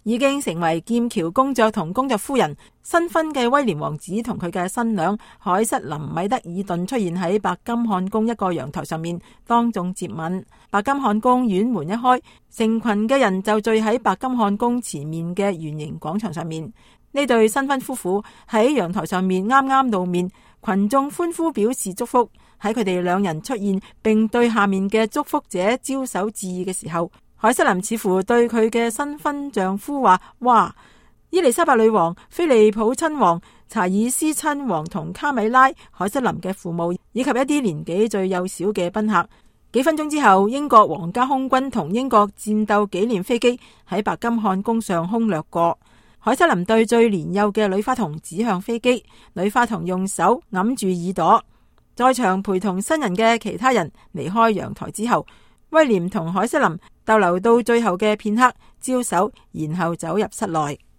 已經成為劍橋公爵同公爵夫人新婚嘅威廉王子同佢嘅新娘凱瑟琳米德爾頓出現喺白金漢宮一個陽台上面當眾接吻。白金漢宮院門一開，成群嘅人就聚喺白金漢宮前面嘅圓形廣場上面。呢對新婚夫婦喺陽台上面啱啱露面，群眾歡呼表示祝福。喺佢哋兩人出現並對下面嘅祝福者招手致意嘅時候，凱瑟琳似乎對佢嘅新婚丈夫話：哇！伊麗莎白女王、菲利普親王、查爾斯親王同卡米拉、凱瑟琳嘅父母以及一啲年紀最幼小嘅賓客。幾分鐘之後，英國皇家空軍同英國戰鬥紀念飛機喺白金漢宮上空掠過。凱瑟琳對最年幼嘅女花童指向飛機，女花童用手揞住耳朵。在場陪同新人嘅其他人離開陽台之後，威廉同凱瑟琳逗留到最後嘅片刻，招手，然後走入室內。